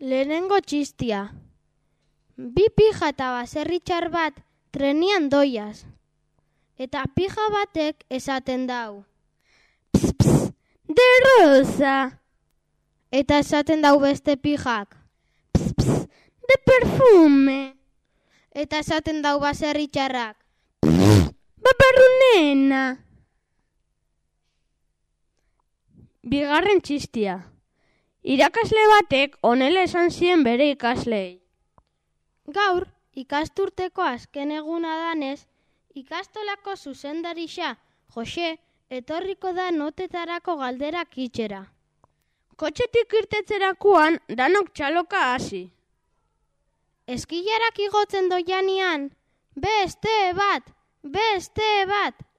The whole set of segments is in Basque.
Lehenengo txistia. Bi pija eta baserri txar bat trenian doiaz. Eta pija batek esaten dau. Pss, pss, de rosa. Eta esaten dau beste pijak. Pss, pss, de perfume. Eta esaten dau baserri txarrak. Pss, babarrunena. Bigarren txistia. Irakasle batek honela esan zien bere ikaslei. Gaur, ikasturteko azken eguna danez, ikastolako zuzendarixa, Jose, etorriko da notetarako galderak itxera. Kotxetik irtetzerakoan danok txaloka hasi. Eskilarak igotzen doianian, beste bat,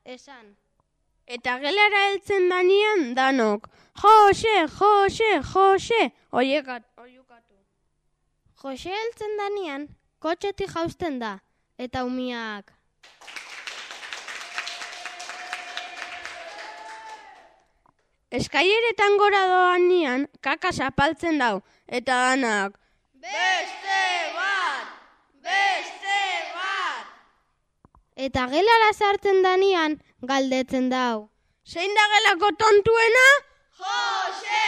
esan. Eta gelara heltzen danian danok, Jose, oiukatu. Jose heltzen danian, kotxetik jausten da, eta umiak. Eskaileretan gora doanian, kaka zapaltzen dau, eta danak, beste bat! Eta gelara sartzen danian, galdetzen dau. Zein da gelako tontuena? Jose!